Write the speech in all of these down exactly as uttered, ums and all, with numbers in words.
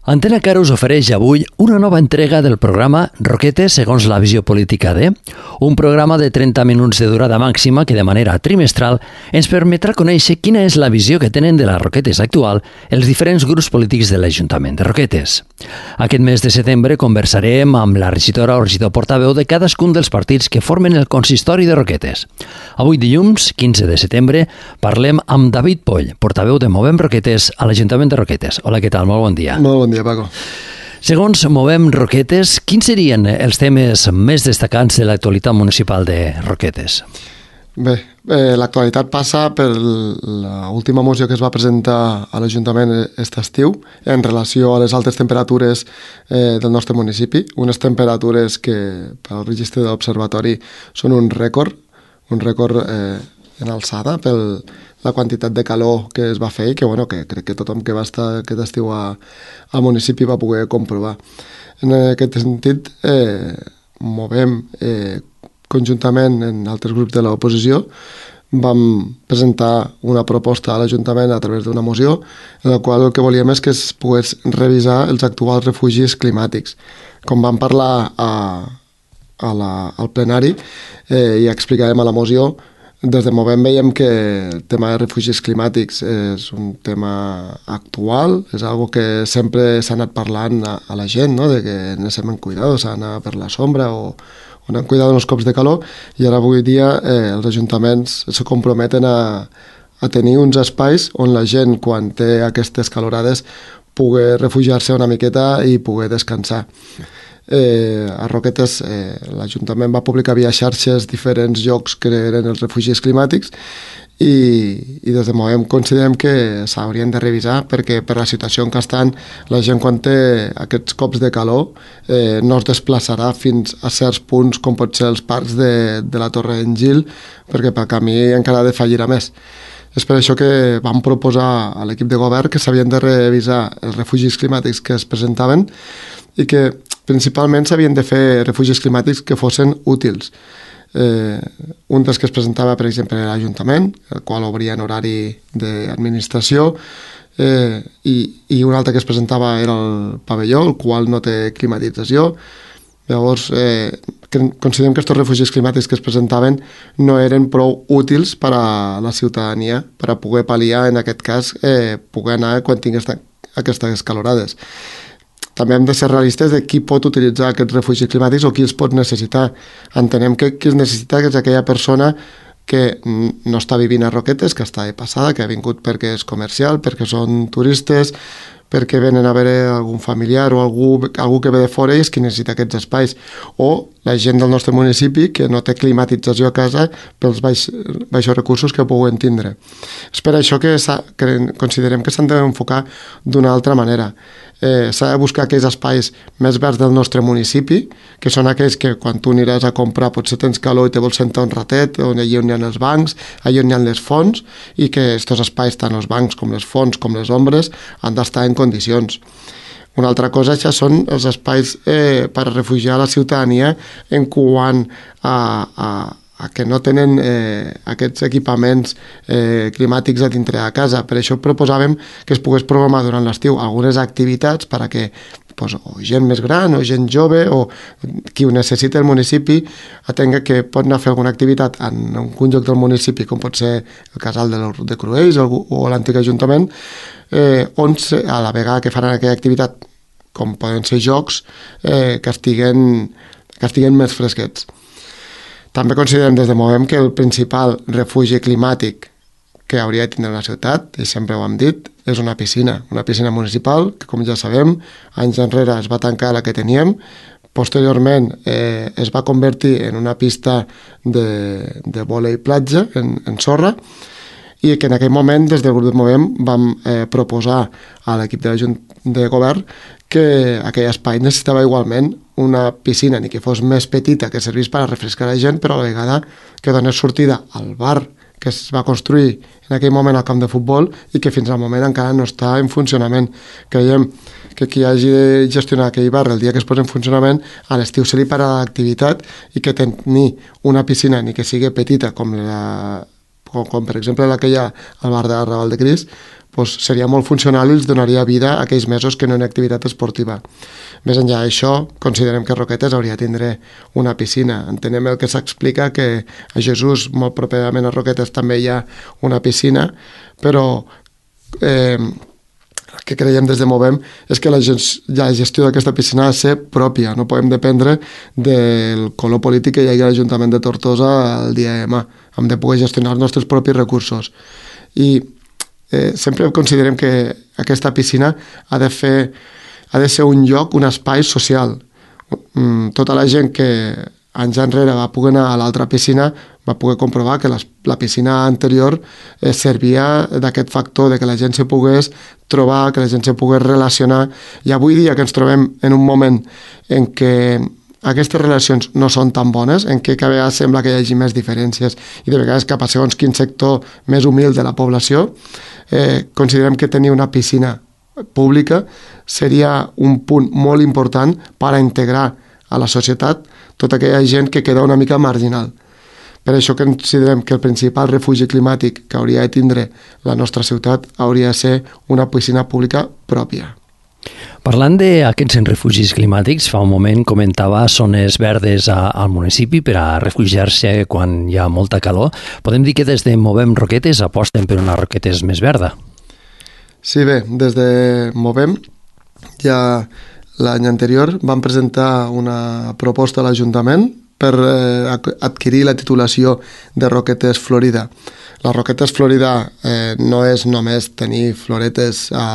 Antena Cara us ofereix avui una nova entrega del programa Roquetes segons la visió política de, un programa de trenta minuts de durada màxima que de manera trimestral ens permetrà conèixer quina és la visió que tenen de les Roquetes actual els diferents grups polítics de l'Ajuntament de Roquetes. Aquest mes de setembre conversarem amb la regidora o regidor portaveu de cadascun dels partits que formen el consistori de Roquetes. Avui dilluns, quinze de setembre, parlem amb David Poll, portaveu de Movem Roquetes a l'Ajuntament de Roquetes. Hola, què tal? Molt bon dia. Molt bon dia, Paco. Segons Movem Roquetes, quins serien els temes més destacats de l'actualitat municipal de Roquetes? Bé, eh, l'actualitat passa per l'última moció que es va presentar a l'Ajuntament aquest estiu en relació a les altes temperatures eh, del nostre municipi, unes temperatures que pel registre de l'Observatori són un rècord, un rècord eh, en alçada pel la quantitat de calor que es va fer i que, bueno, que crec que tothom que va estar aquest estiu a, al municipi va poder comprovar. En aquest sentit, eh, movem eh, conjuntament en altres grups de l'oposició, vam presentar una proposta a l'Ajuntament a través d'una moció en la qual el que volíem és que es pogués revisar els actuals refugis climàtics. Com vam parlar a, a la, al plenari eh, i explicàvem a la moció, des de Movem veiem que el tema de refugis climàtics és un tema actual, és algo que sempre s'ha anat parlant a, a la gent, no? De que necessitem en cuidado, s'ha d'anar per la sombra o, o anar en cuidado en els cops de calor, i ara avui dia eh, els ajuntaments se comprometen a, a tenir uns espais on la gent, quan té aquestes calorades, pugui refugiar-se una miqueta i pugui descansar. Eh, a Roquetes eh, l'Ajuntament va publicar via xarxes diferents llocs que eren els refugis climàtics i, i des de Movem considerem que s'haurien de revisar perquè per la situació en què estan la gent quan té aquests cops de calor eh, no es desplaçarà fins a certs punts com pot ser els parcs de, de la Torre d'en Gil perquè pel camí encara ha de fallir a més. És per això que vam proposar a l'equip de govern que s'havien de revisar els refugis climàtics que es presentaven i que principalment s'havien de fer refugis climàtics que fossin útils. Eh, un dels que es presentava, per exemple, a l'Ajuntament, el qual obria en horari d'administració, eh, i, i un altre que es presentava era el pavelló, el qual no té climatització. Llavors, eh, considerem que aquests refugis climàtics que es presentaven no eren prou útils per a la ciutadania, per a poder pal·liar, en aquest cas, eh, poder anar quan tingués aquestes calorades. També hem de ser realistes de qui pot utilitzar aquests refugis climàtics o qui els pot necessitar. Entenem que qui els necessita és aquella persona que no està vivint a Roquetes, que està de passada, que ha vingut perquè és comercial, perquè són turistes, perquè venen a veure algun familiar o algú, algú que ve de fora i és qui necessita aquests espais. O la gent del nostre municipi que no té climatització a casa pels baix, baixos recursos que puguen tindre. És per això que, que considerem que s'han d'enfocar d'una altra manera. Eh, s'ha de buscar aquells espais més verds del nostre municipi, que són aquells que quan tu aniràs a comprar potser tens calor i te vols sentar un ratet, on allà on hi ha els bancs, allà on hi ha les fonts, i que aquests espais, tant els bancs com les fonts com les ombres, han d'estar en condicions. Una altra cosa ja són els espais eh, per refugiar la ciutadania en quant a, a a que no tenen eh, aquests equipaments eh, climàtics a dintre de casa. Per això proposàvem que es pogués programar durant l'estiu algunes activitats per a que pues, o gent més gran o gent jove o qui ho necessita el municipi atenga que pot anar a fer alguna activitat en un lloc del municipi, com pot ser el casal de, de Cruells o, o l'antic ajuntament, eh, on a la vegada que faran aquella activitat, com poden ser jocs, eh, que, estiguen, que estiguen més fresquets. També considerem des de Movem que el principal refugi climàtic que hauria de tindre la ciutat, i sempre ho hem dit, és una piscina, una piscina municipal, que com ja sabem, anys enrere es va tancar la que teníem, posteriorment eh, es va convertir en una pista de, de vòlei platja, en, en sorra, i que en aquell moment, des del grup de Movem, vam eh, proposar a l'equip de, de govern que aquell espai necessitava igualment una piscina, ni que fos més petita, que servís per a refrescar la gent, però a la vegada que donés sortida al bar que es va construir en aquell moment al camp de futbol i que fins al moment encara no està en funcionament. Creiem que qui hagi de gestionar aquell bar el dia que es posa en funcionament, a l'estiu se li para l'activitat i que tenir una piscina, ni que sigui petita com la com, com per exemple la que hi ha al bar de Raval de Cris, doncs seria molt funcional i els donaria vida a aquells mesos que no hi ha activitat esportiva. Més enllà d'això, considerem que Roquetes hauria de tindre una piscina. Entenem el que s'explica, que a Jesús, molt properament a Roquetes, també hi ha una piscina, però eh, el que creiem des de Movem és que la, la gestió d'aquesta piscina ha de ser pròpia, no podem dependre del color polític que hi hagi a l'Ajuntament de Tortosa el dia de demà. Hem de poder gestionar els nostres propis recursos. I eh, sempre considerem que aquesta piscina ha de fer, ha de ser un lloc, un espai social. Tota la gent que anys enrere va poder anar a l'altra piscina va poder comprovar que les, la piscina anterior eh, servia d'aquest factor de que la gent se pogués trobar, que la gent se pogués relacionar, i avui dia que ens trobem en un moment en què aquestes relacions no són tan bones, en què cada vegada sembla que hi hagi més diferències i de vegades cap a segons quin sector més humil de la població, eh, considerem que tenir una piscina pública seria un punt molt important per a integrar a la societat tota aquella gent que queda una mica marginal. Per això considerem que el principal refugi climàtic que hauria de tindre la nostra ciutat hauria de ser una piscina pública pròpia. Parlant d'aquests refugis climàtics, fa un moment comentava zones verdes a, al municipi per a refugiar-se quan hi ha molta calor. Podem dir que des de Movem Roquetes aposten per una Roquetes més verda? Sí, bé, des de Movem ja l'any anterior vam presentar una proposta a l'Ajuntament per eh, adquirir la titulació de Roquetes Florida. La Roquetes Florida eh, no és només tenir floretes a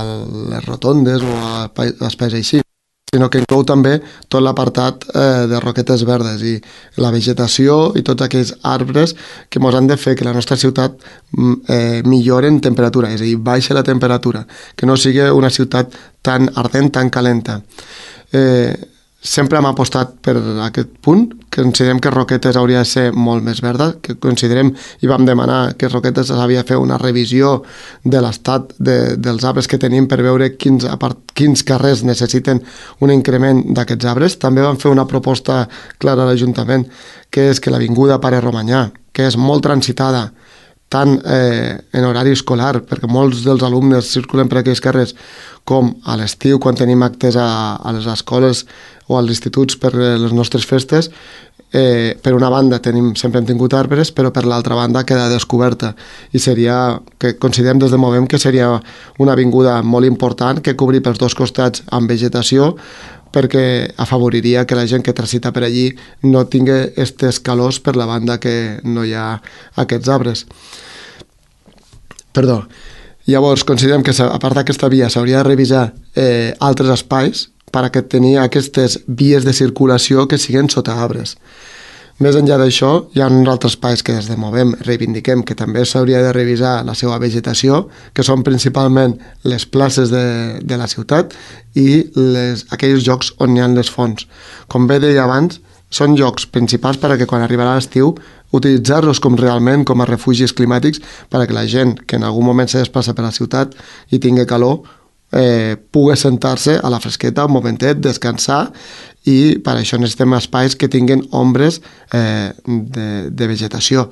les rotondes o a espais així, sinó que inclou també tot l'apartat eh, de roquetes verdes i la vegetació i tots aquells arbres que ens han de fer que la nostra ciutat eh, millori en temperatura, és a dir, baixa la temperatura, que no sigui una ciutat tan ardent, tan calenta. Eh, sempre hem apostat per aquest punt, que considerem que Roquetes hauria de ser molt més verda, que considerem i vam demanar que Roquetes havia de fer una revisió de l'estat de, dels arbres que tenim per veure quins, quins carrers necessiten un increment d'aquests arbres. També vam fer una proposta clara a l'Ajuntament, que és que l'Avinguda Pare Romanyà, que és molt transitada, tant eh, en horari escolar, perquè molts dels alumnes circulen per aquells carrers, com a l'estiu, quan tenim actes a, a les escoles o als instituts per les nostres festes. Eh, per una banda tenim, sempre hem tingut arbres, però per l'altra banda queda descoberta, i seria, que considerem des de Movem que seria una avinguda molt important que cobri pels dos costats amb vegetació, perquè afavoriria que la gent que transita per allí no tingui aquestes calors per la banda que no hi ha aquests arbres. Perdó. Llavors, considerem que a part d'aquesta via s'hauria de revisar eh, altres espais per a que tenir aquestes vies de circulació que siguin sota arbres. Més enllà d'això, hi ha uns altres espais que des de Movem reivindiquem que també s'hauria de revisar la seva vegetació, que són principalment les places de, de la ciutat i les, aquells llocs on hi ha les fonts. Com bé deia abans, són llocs principals per a que quan arribarà l'estiu utilitzar-los com realment com a refugis climàtics per a que la gent que en algun moment se desplaça per la ciutat i tingui calor eh, pugui sentar-se a la fresqueta un momentet, descansar, i per això necessitem espais que tinguin ombres eh, de, de vegetació.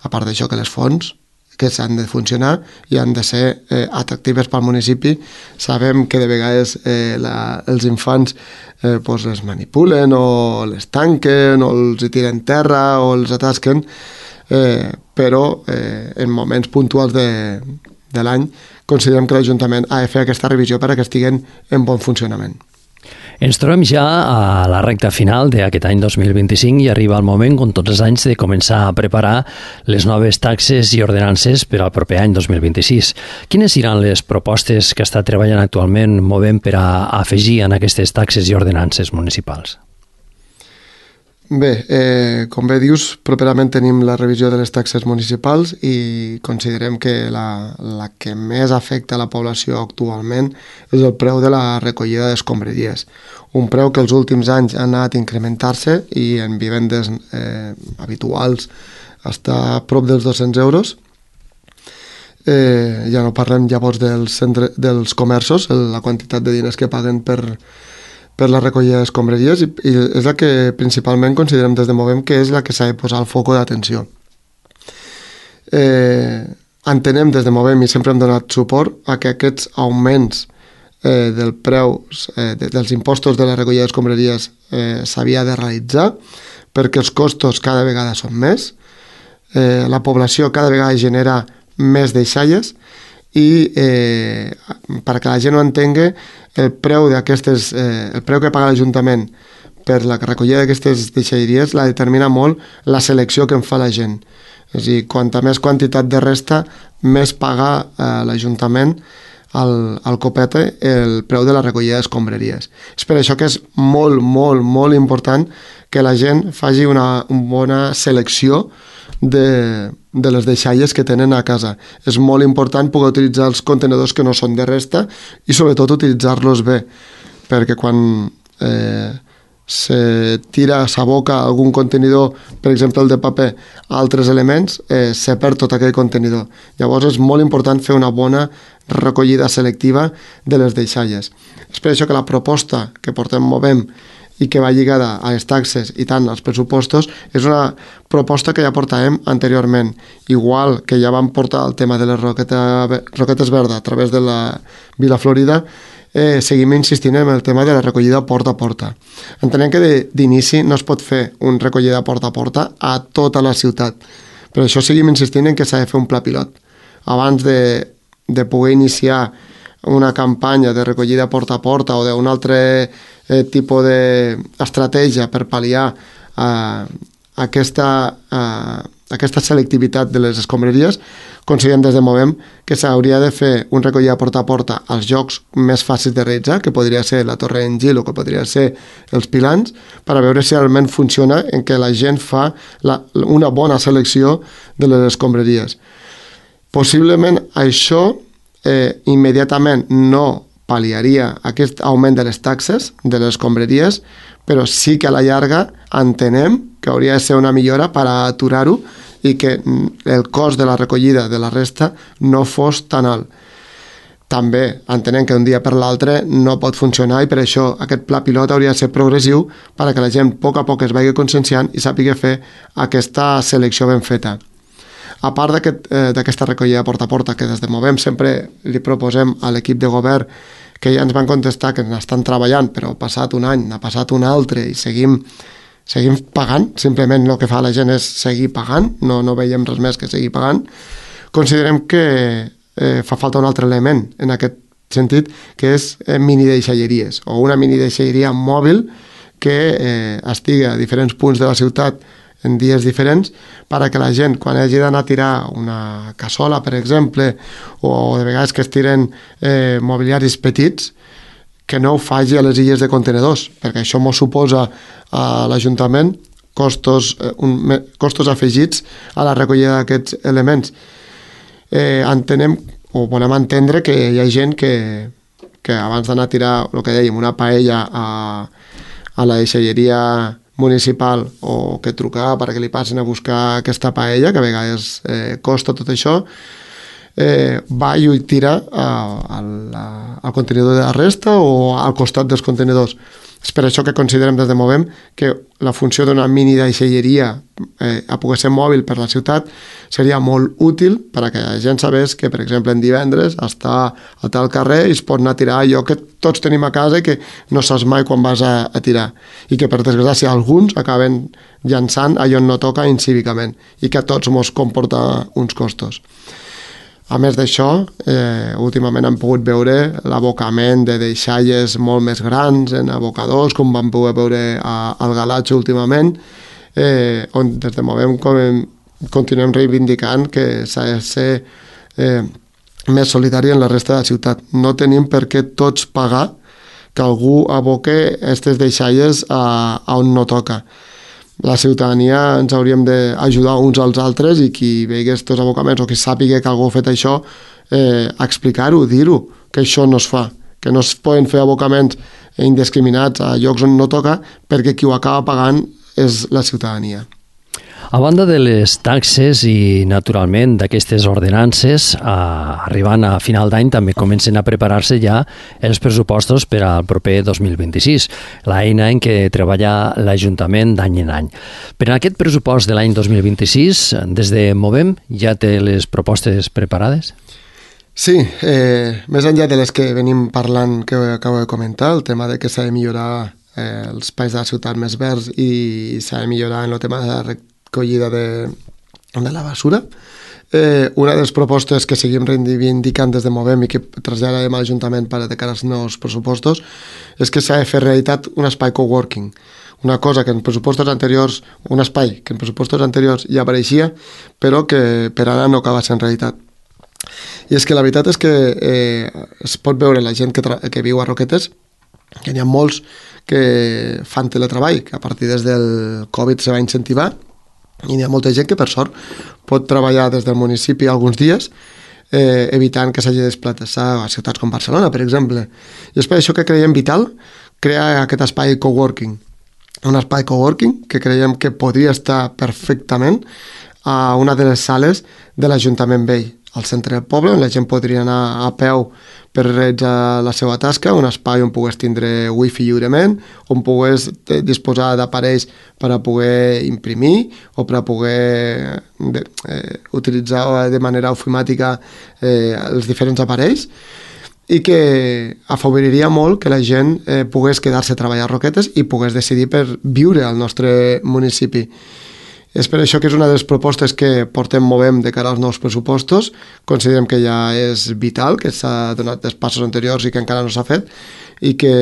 A part d'això, que les fonts que s'han de funcionar i han de ser eh, atractives pel municipi. Sabem que de vegades eh, la, els infants eh, pues les manipulen o les tanquen o els hi tiren terra o els atasquen, eh, però eh, en moments puntuals de, de l'any considerem que l'Ajuntament ha de fer aquesta revisió per a que estiguen en bon funcionament. Ens trobem ja a la recta final d'aquest any dos mil vint-i-cinc i arriba el moment, com tots els anys, de començar a preparar les noves taxes i ordenances per al proper any dos mil vint-i-sis. Quines seran les propostes que està treballant actualment Movem per a afegir en aquestes taxes i ordenances municipals? Bé, eh, com bé dius, properament tenim la revisió de les taxes municipals i considerem que la, la que més afecta a la població actualment és el preu de la recollida d'escombraries. Un preu que els últims anys ha anat a incrementar-se i en vivendes eh, habituals està a prop dels dos-cents euros. Eh, ja no parlem llavors dels, centre, dels comerços, la quantitat de diners que paguen per per la recollida d'escombraries, i, i és la que principalment considerem des de Movem que és la que s'ha de posar al foc d'atenció. eh, entenem des de Movem i sempre hem donat suport a que aquests augments eh, del preu eh, de, dels impostos de la recollida d'escombraries eh, s'havia de realitzar perquè els costos cada vegada són més, eh, la població cada vegada genera més deixalles i eh, perquè la gent ho entengui, el preu d'aquestes, eh, el preu que paga l'Ajuntament per la recollida d'aquestes deixalleries la determina molt la selecció que en fa la gent. És a dir, quanta més quantitat de resta, més paga eh, l'Ajuntament al, al copete el preu de la recollida d'escombraries. És per això que és molt, molt, molt important que la gent faci una, una bona selecció de, de les deixalles que tenen a casa. És molt important poder utilitzar els contenidors que no són de resta i sobretot utilitzar-los bé, perquè quan eh, se tira, s'aboca algun contenidor, per exemple el de paper, a altres elements, eh, se perd tot aquell contenidor. Llavors és molt important fer una bona recollida selectiva de les deixalles. És per això que la proposta que portem Movem i que va lligada a les taxes i tant als pressupostos és una proposta que ja portàvem anteriorment, igual que ja vam portar el tema de les roqueta, roquetes verdes a través de la Vila Florida. Eh, seguim insistint en el tema de la recollida porta a porta. Entenem que d'inici no es pot fer un recollida porta a porta a tota la ciutat. Per això seguim insistint en que s'ha de fer un pla pilot. Abans de, de poder iniciar una campanya de recollida porta a porta o d'un altre eh, tipus d'estratègia per pal·liar eh, aquesta, eh, aquesta selectivitat de les escombraries, considerem des de Movem que s'hauria de fer un recollida porta a porta als llocs més fàcils de realitzar, que podria ser la Torre d'en Gil o que podria ser els Pilans, per a veure si realment funciona en què la gent fa la, una bona selecció de les escombraries. Possiblement això eh, immediatament no pal·liaria aquest augment de les taxes de les escombraries, però sí que a la llarga entenem que hauria de ser una millora per a aturar-ho i que el cost de la recollida de la resta no fos tan alt. També entenem que un dia per l'altre no pot funcionar i per això aquest pla pilot hauria de ser progressiu perquè la gent a poc a poc es vagi conscienciant i sàpiga fer aquesta selecció ben feta. A part d'aquest, eh, d'aquesta recollida porta a porta que des de Movem sempre li proposem a l'equip de govern, que ja ens van contestar que n'estan treballant, però ha passat un any, n'ha passat un altre i seguim seguim pagant, simplement el que fa la gent és seguir pagant, no, no veiem res més que seguir pagant. Considerem que eh, fa falta un altre element en aquest sentit, que és eh, mini deixalleries, o una mini deixalleria mòbil que eh, estigui a diferents punts de la ciutat en dies diferents, perquè la gent, quan hagi d'anar a tirar una cassola, per exemple, o de vegades que es tiren eh, mobiliaris petits, que no ho faci a les illes de contenedors, perquè això m'ho suposa a l'Ajuntament costos, eh, un, costos afegits a la recollida d'aquests elements. Eh, entenem, o volem entendre que hi ha gent que, que abans d'anar a tirar, el que dèiem, una paella a, a la deixalleria municipal o que trucar perquè li passin a buscar aquesta paella, que a vegades eh, costa tot això, eh, va i ho tira al, al contenidor de la resta o al costat dels contenidors. És per això que considerem des de Movem que la funció d'una mini deixalleria eh, a poder ser mòbil per la ciutat seria molt útil per a que la gent sabés que, per exemple, en divendres està a tal carrer i es pot anar a tirar allò que tots tenim a casa i que no saps mai quan vas a, a tirar. I que, per desgràcia, alguns acaben llançant allò on no toca incívicament i que a tots mos comporta uns costos. A més d'això, eh, últimament hem pogut veure l'abocament de deixalles molt més grans en abocadors, com vam poder veure a, al Galatxo últimament, eh, on des de Movem com, continuem reivindicant que s'ha de ser eh, més solidari en la resta de la ciutat. No tenim per què tots pagar que algú aboque aquestes deixalles a, a on no toca. La ciutadania ens hauríem d'ajudar uns als altres i qui vegi aquests abocaments o qui sàpiga que algú ha fet això, eh, explicar-ho, dir-ho, que això no es fa, que no es poden fer abocaments indiscriminats a llocs on no toca perquè qui ho acaba pagant és la ciutadania. A banda de les taxes i, naturalment, d'aquestes ordenances, eh, arribant a final d'any també comencen a preparar-se ja els pressupostos per al proper dos mil vint-i-sis, l'eina en què treballa l'Ajuntament d'any en any. Per a aquest pressupost de l'any dos mil vint-i-sis, des de Movem, ja té les propostes preparades? Sí, eh, més enllà de les que venim parlant, que acabo de comentar, el tema de que s'ha de millorar eh, els espais de la ciutat més verds i s'ha de millorar en el tema de la recollida de, de la basura. Eh, una de les propostes que seguim reivindicant des de Movem i que traslladarem a l'Ajuntament per a de cara als nous pressupostos és que s'ha de fer realitat un espai coworking. Una cosa que en pressupostos anteriors, un espai que en pressupostos anteriors ja apareixia, però que per ara no acaba sent realitat. I és que la veritat és que eh, es pot veure la gent que, que viu a Roquetes, que n'hi ha molts que fan teletreball, que a partir des del Covid se va incentivar, i hi ha molta gent que, per sort, pot treballar des del municipi alguns dies, eh, evitant que s'hagi de desplaçar a ciutats com Barcelona, per exemple. I és per això que creiem vital crear aquest espai coworking. Un espai coworking que creiem que podria estar perfectament a una de les sales de l'Ajuntament Vell, al centre del poble, on la gent podria anar a peu per realitzar la seva tasca, un espai on pogués tindre wifi lliurement, on pogués disposar d'aparells per a poder imprimir o per a poder de, eh, utilitzar de manera ofimàtica eh, els diferents aparells, i que afavoriria molt que la gent eh, pogués quedar-se a treballar a Roquetes i pogués decidir per viure al nostre municipi. És per això que és una de les propostes que portem Movem de cara als nous pressupostos. Considerem que ja és vital, que s'ha donat dels passos anteriors i que encara no s'ha fet, i que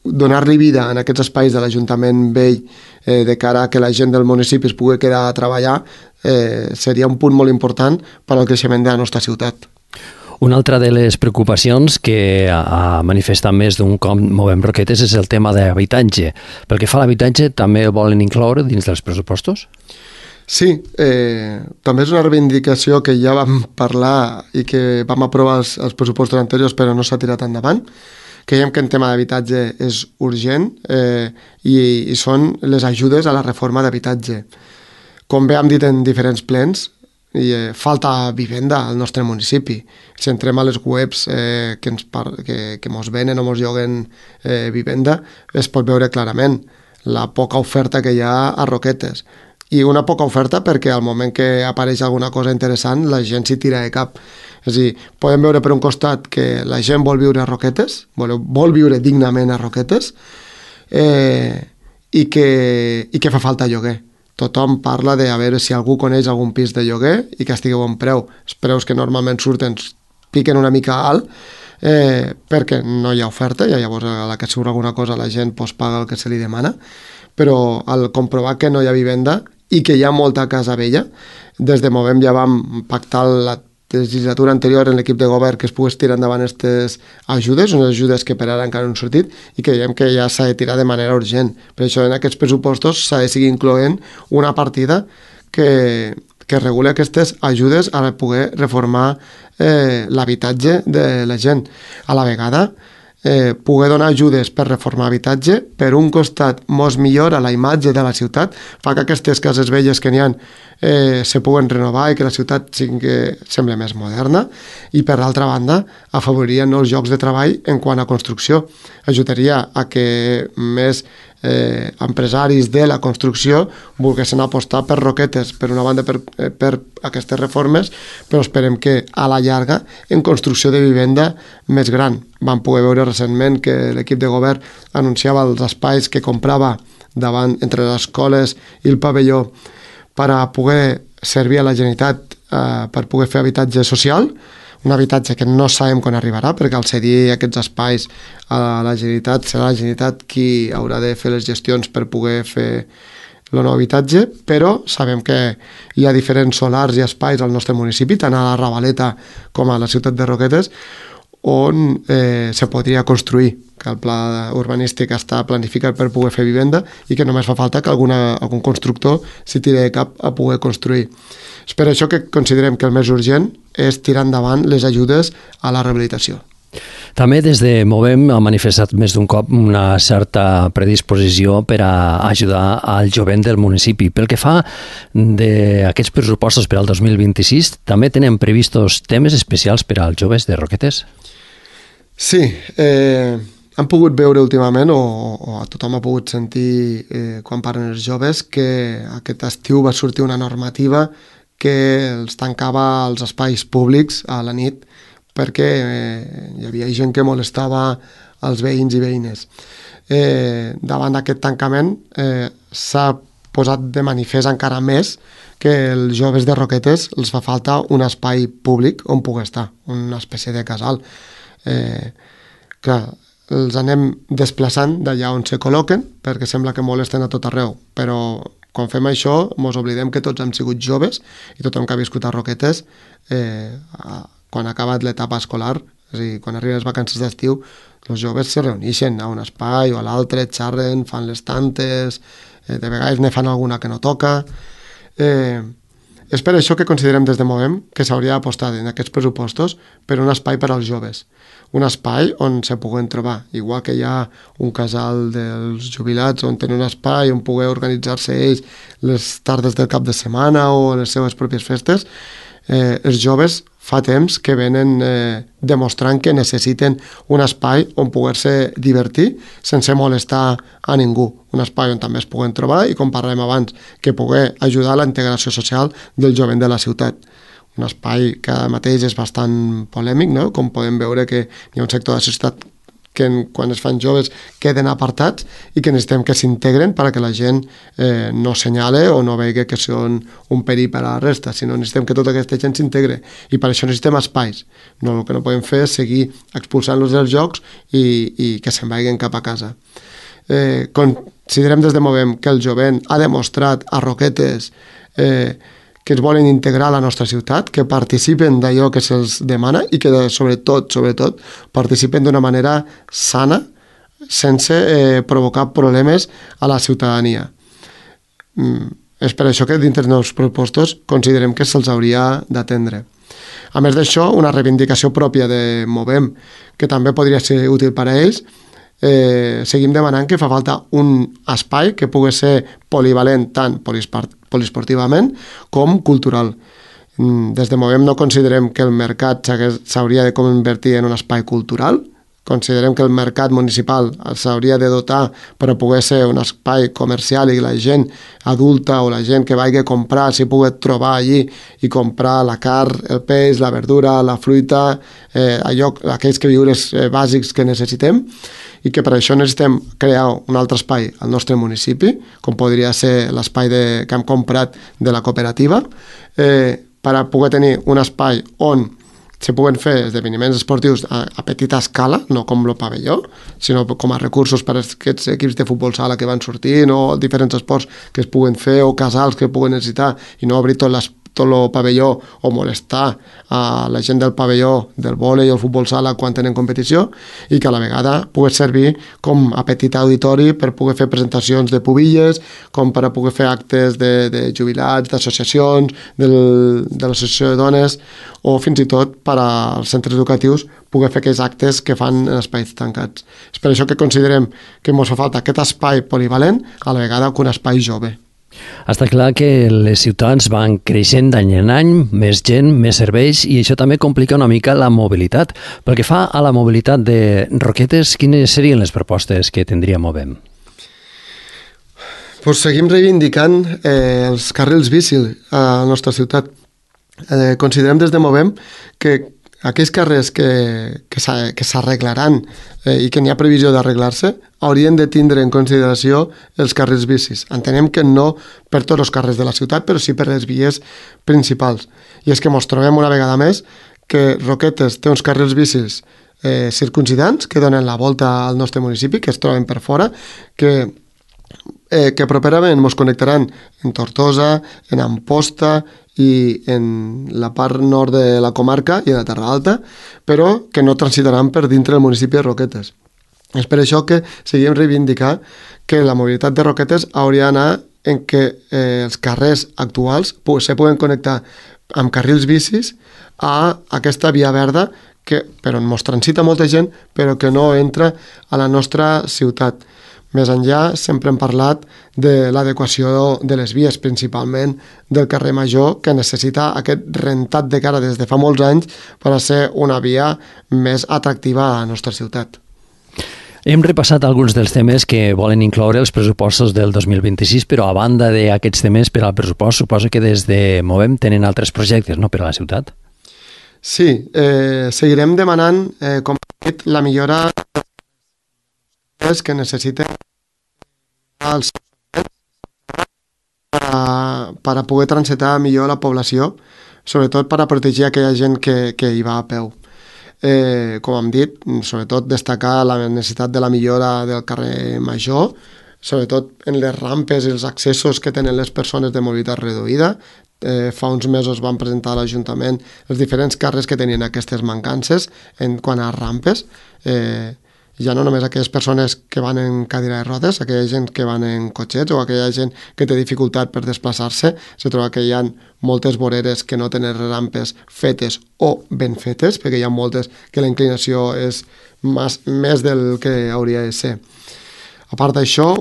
donar-li vida en aquests espais de l'Ajuntament Vell eh, de cara a que la gent del municipi es pugui quedar a treballar eh, seria un punt molt important per al creixement de la nostra ciutat. Una altra de les preocupacions que ha manifestat més d'un cop Movem Roquetes és el tema d'habitatge. Pel que fa a l'habitatge, també el volen incloure dins dels pressupostos? Sí, eh, també és una reivindicació que ja vam parlar i que vam aprovar els, els pressupostos anteriors però no s'ha tirat endavant. Creiem que en tema d'habitatge és urgent eh, i, i són les ajudes a la reforma d'habitatge. Com bé hem dit en diferents plens, i eh, falta vivenda al nostre municipi. Si entrem a les webs eh, que, ens par que, que mos venen o mos lloguen eh, vivenda, es pot veure clarament la poca oferta que hi ha a Roquetes. I una poca oferta perquè al moment que apareix alguna cosa interessant la gent s'hi tira de cap. És a dir, podem veure per un costat que la gent vol viure a Roquetes, vol, vol viure dignament a Roquetes, eh, i, que, i que fa falta lloguer. Tothom parla de a veure si algú coneix algun pis de lloguer i que estigui a bon preu. Els preus que normalment surten piquen una mica alt eh, perquè no hi ha oferta i llavors a la que surt alguna cosa la gent pues, paga el que se li demana, però al comprovar que no hi ha vivenda i que hi ha molta casa vella, des de Movem ja vam pactar la legislatura anterior en l'equip de govern que es pogués tirar endavant aquestes ajudes, unes ajudes que per ara encara no han sortit i que creiem que ja s'ha de tirar de manera urgent. Per això en aquests pressupostos s'ha de seguir incloent una partida que, que reguli aquestes ajudes a poder reformar eh, l'habitatge de la gent. A la vegada, eh, poder donar ajudes per reformar habitatge, per un costat mos millora la imatge de la ciutat, fa que aquestes cases velles que n'hi ha eh, se puguen renovar i que la ciutat sigui, sembla més moderna, i per l'altra banda afavoriria nous llocs de treball en quant a construcció. Ajudaria a que més eh, empresaris de la construcció volguessin apostar per Roquetes, per una banda per, eh, per aquestes reformes, però esperem que a la llarga en construcció de vivenda més gran. Vam poder veure recentment que l'equip de govern anunciava els espais que comprava davant entre les escoles i el pavelló per a poder servir a la Generalitat eh, per poder fer habitatge social, un habitatge que no sabem quan arribarà, perquè al cedir aquests espais a la Generalitat serà la Generalitat qui haurà de fer les gestions per poder fer el nou habitatge, però sabem que hi ha diferents solars i espais al nostre municipi, tant a la Ravaleta com a la ciutat de Roquetes, on eh, se podria construir, que el pla urbanístic està planificat per poder fer vivenda i que només fa falta que alguna, algun constructor s'hi tiri de cap a poder construir. És per això que considerem que el més urgent és tirar endavant les ajudes a la rehabilitació. També des de Movem ha manifestat més d'un cop una certa predisposició per a ajudar al jovent del municipi. Pel que fa d'aquests pressupostos per al dos mil vint-i-sis, també tenen previstos temes especials per als joves de Roquetes? Sí, eh, hem pogut veure últimament, o, o tothom ha pogut sentir eh, quan parlen els joves, que aquest estiu va sortir una normativa que els tancava als espais públics a la nit perquè eh, hi havia gent que molestava els veïns i veïnes. Eh, davant d'aquest tancament eh, s'ha posat de manifest encara més que els joves de Roquetes els fa falta un espai públic on poder estar, una espècie de casal. Eh, clar, els anem desplaçant d'allà on se col·loquen perquè sembla que molesten a tot arreu, però quan fem això mos oblidem que tots hem sigut joves i tothom que ha viscut a Roquetes eh, a, quan ha acabat l'etapa escolar, és a dir, quan arriben les vacances d'estiu, els joves se reuneixen a un espai o a l'altre, xerren, fan les tantes, eh, de vegades ne fan alguna que no toca. Eh, és per això que considerem des de Movem que s'hauria d'apostar en aquests pressupostos per un espai per als joves, un espai on se puguen trobar, igual que hi ha un casal dels jubilats on tenen un espai on poder organitzar-se ells les tardes del cap de setmana o les seves pròpies festes. Eh, els joves fa temps que venen eh, demostrant que necessiten un espai on poder-se divertir sense molestar a ningú. Un espai on també es puguen trobar i, com parlem abans, que poder ajudar a la integració social del jovent de la ciutat. Un espai que ara mateix és bastant polèmic, no? Com podem veure que hi ha un sector de la societat que quan es fan joves queden apartats i que necessitem que s'integren perquè la gent eh, no senyale o no vegi que són un perill per a la resta, sinó necessitem que tota aquesta gent s'integre i per això necessitem espais. No, el que no podem fer és seguir expulsant-los dels jocs i, i que se'n vagin cap a casa. Eh, considerem des de Movem que el jovent ha demostrat a Roquetes eh, que es volen integrar a la nostra ciutat, que participen d'allò que se'ls demana i que, sobretot, sobretot, participen d'una manera sana, sense eh, provocar problemes a la ciutadania. Mm, és per això que dintre dels nous propostos considerem que se'ls hauria d'atendre. A més d'això, una reivindicació pròpia de Movem, que també podria ser útil per a ells, eh, seguim demanant que fa falta un espai que pugui ser polivalent tant poliesportivament com cultural. Des de Movem no considerem que el mercat s'hauria de convertir en un espai cultural, considerem que el mercat municipal s'hauria de dotar per a poder ser un espai comercial i la gent adulta o la gent que vagi a comprar s'hi pugui trobar allí i comprar la carn, el peix, la verdura, la fruita, eh, allò, aquells queviures eh, bàsics que necessitem, i que per això necessitem crear un altre espai al nostre municipi, com podria ser l'espai que hem comprat de la cooperativa, eh, per a poder tenir un espai on se puguen fer esdeveniments esportius a, a petita escala, no com el pavelló, sinó com a recursos per a aquests equips de futbol sala que van sortint o diferents esports que es puguen fer o casals que puguen necessitar i no obrir tot les tot el pavelló o molestar a la gent del pavelló del vòlei o el futbol sala quan tenen competició i que a la vegada pugui servir com a petit auditori per poder fer presentacions de pubilles, com per a poder fer actes de, de jubilats, d'associacions, del, de l'associació de dones o fins i tot per als centres educatius poder fer aquells actes que fan en espais tancats. És per això que considerem que ens fa falta aquest espai polivalent a la vegada que un espai jove. Està clar que les ciutats van creixent d'any en any, més gent, més serveis, i això també complica una mica la mobilitat. Pel que fa a la mobilitat de Roquetes, quines serien les propostes que tindria Movem? Pues seguim reivindicant eh, els carrils bici a la nostra ciutat. Eh, considerem des de Movem que aquells carrers que, que s'arreglaran eh, i que n'hi ha previsió d'arreglar-se haurien de tindre en consideració els carrils bicis. Entenem que no per tots els carrers de la ciutat, però sí per les vies principals. I és que ens trobem una vegada més que Roquetes té uns carrils bicis eh, circuncidants que donen la volta al nostre municipi, que es troben per fora, que, eh, que properament ens connectaran en Tortosa, en Amposta i en la part nord de la comarca i en la Terra Alta, però que no transitaran per dintre del municipi de Roquetes. És per això que seguim reivindicar que la mobilitat de Roquetes hauria d'anar en que eh, els carrers actuals se puguen connectar amb carrils bicis a aquesta via verda que, per on ens transita molta gent, però que no entra a la nostra ciutat. Més enllà, sempre hem parlat de l'adequació de les vies, principalment del carrer Major, que necessita aquest rentat de cara des de fa molts anys per a ser una via més atractiva a la nostra ciutat. Hem repassat alguns dels temes que volen incloure els pressupostos del dos mil vint-i-sis, però a banda d'aquests temes per al pressupost, suposo que des de Movem tenen altres projectes, no?, per a la ciutat. Sí, eh, seguirem demanant, eh, com he dit, la millora que necessiten els per a, per a poder transitar millor la població, sobretot per a protegir aquella gent que, que hi va a peu. Eh, com hem dit, sobretot destacar la necessitat de la millora del carrer Major, sobretot en les rampes i els accessos que tenen les persones de mobilitat reduïda. Eh, fa uns mesos van presentar a l'Ajuntament els diferents carrers que tenien aquestes mancances en quant a rampes, eh, ja no només aquelles persones que van en cadira de rodes, aquella gent que van en cotxets o aquella gent que té dificultat per desplaçar-se, se troba que hi ha moltes voreres que no tenen rampes fetes o ben fetes, perquè hi ha moltes que la inclinació és més, més del que hauria de ser. A part d'això,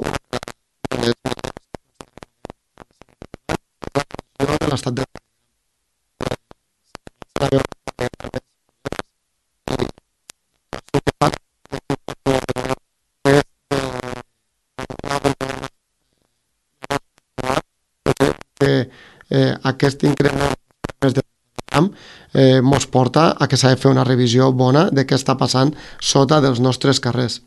l'estat de que eh, aquest increment de camp eh, mos porta a que s'ha de fer una revisió bona de què està passant sota dels nostres carrers.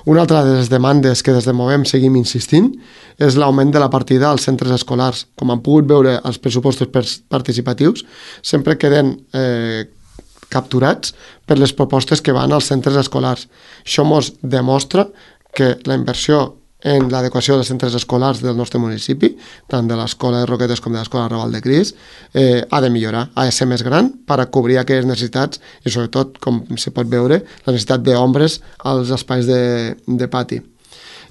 Una altra de les demandes que des de Movem seguim insistint és l'augment de la partida als centres escolars. Com han pogut veure els pressupostos participatius, sempre queden eh, capturats per les propostes que van als centres escolars. Això ens demostra que la inversió en l'adequació dels centres escolars del nostre municipi, tant de l'Escola de Roquetes com de l'Escola Raval de Cris, eh, ha de millorar, ha de ser més gran per a cobrir aquelles necessitats i sobretot, com se pot veure, la necessitat d'ombres als espais de, de pati.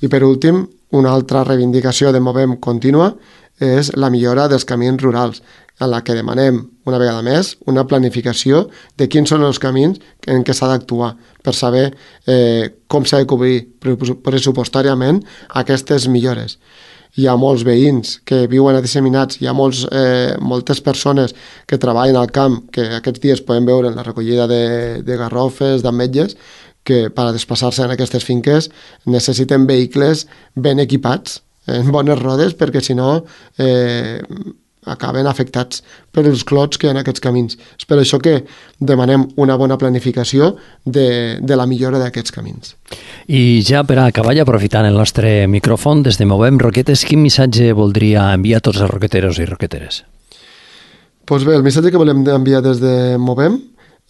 I per últim, una altra reivindicació de Movem contínua és la millora dels camins rurals, en la que demanem, una vegada més, una planificació de quins són els camins en què s'ha d'actuar per saber eh, com s'ha de cobrir pressupostàriament aquestes millores. Hi ha molts veïns que viuen disseminats, hi ha molts, eh, moltes persones que treballen al camp, que aquests dies podem veure en la recollida de, de garrofes, d'ametlles, que per a desplaçar-se en aquestes finques necessiten vehicles ben equipats, en bones rodes, perquè si no eh, acaben afectats per els clots que hi ha en aquests camins. És per això que demanem una bona planificació de, de la millora d'aquests camins. I ja per a acabar, aprofitant el nostre micròfon, des de Movem Roquetes, quin missatge voldria enviar a tots els roqueteros i roqueteres? Pues bé, el missatge que volem enviar des de Movem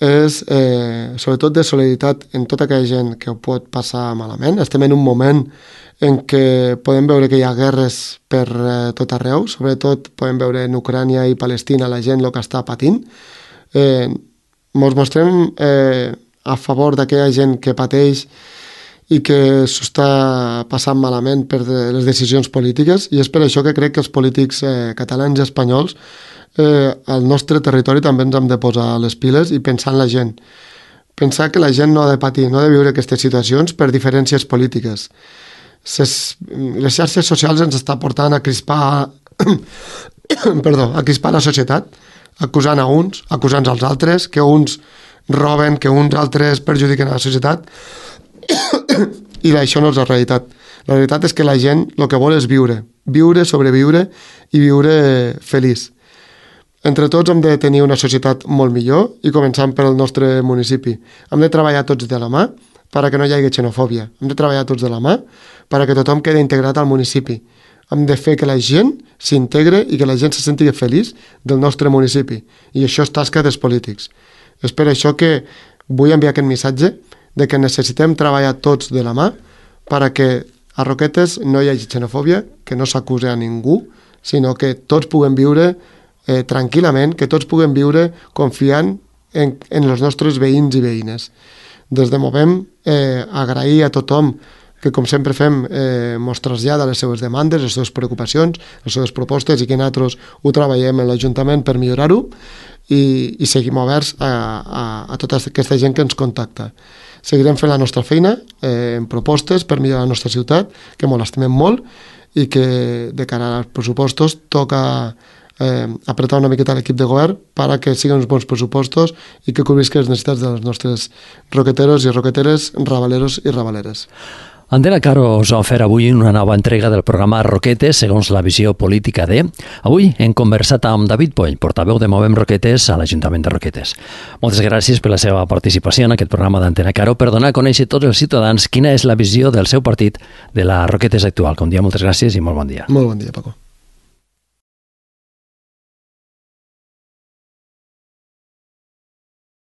és eh, sobretot de solidaritat en tota aquella gent que ho pot passar malament. Estem en un moment en què podem veure que hi ha guerres per eh, tot arreu, sobretot podem veure en Ucrània i Palestina la gent el que està patint. Eh, ens mostrem eh, a favor d'aquella gent que pateix i que s'ho està passant malament per les decisions polítiques, i és per això que crec que els polítics eh, catalans i espanyols eh, al nostre territori també ens hem de posar les piles i pensar en la gent. Pensar que la gent no ha de patir, no ha de viure aquestes situacions per diferències polítiques. Ses, les xarxes socials ens està portant a crispar perdó, a crispar la societat, acusant a uns, acusant als altres, que uns roben, que uns altres perjudiquen a la societat i això no és la realitat. La realitat és que la gent el que vol és viure, viure, sobreviure i viure feliç. Entre tots hem de tenir una societat molt millor i començant pel nostre municipi. Hem de treballar tots de la mà perquè no hi hagi xenofòbia. Hem de treballar tots de la mà perquè tothom quedi integrat al municipi. Hem de fer que la gent s'integre i que la gent se senti feliç del nostre municipi. I això és tasca dels polítics. És per això que vull enviar aquest missatge de que necessitem treballar tots de la mà perquè a Roquetes no hi hagi xenofòbia, que no s'acuse a ningú, sinó que tots puguem viure eh, tranquil·lament, que tots puguem viure confiant en, en els nostres veïns i veïnes. Des de Movem, eh, agrair a tothom que, com sempre fem, eh, mos trasllada les seves demandes, les seves preocupacions, les seves propostes i que nosaltres ho treballem en l'Ajuntament per millorar-ho i, i seguim oberts a, a, a tota aquesta gent que ens contacta. Seguirem fent la nostra feina eh, en propostes per millorar la nostra ciutat, que molt estimem molt, i que de cara als pressupostos toca eh, apretar una miqueta l'equip de govern perquè siguin uns bons pressupostos i que cobrisquen les necessitats dels nostres roqueteros i roqueteres, rabaleros i rabaleres. Antena Caro us ha ofert avui una nova entrega del programa Roquetes segons la visió política de... Avui hem conversat amb David Poll, portaveu de Movem Roquetes a l'Ajuntament de Roquetes. Moltes gràcies per la seva participació en aquest programa d'Antena Caro per donar a conèixer tots els ciutadans quina és la visió del seu partit de la Roquetes actual. Com dia, moltes gràcies i molt bon dia. Molt bon dia, Paco.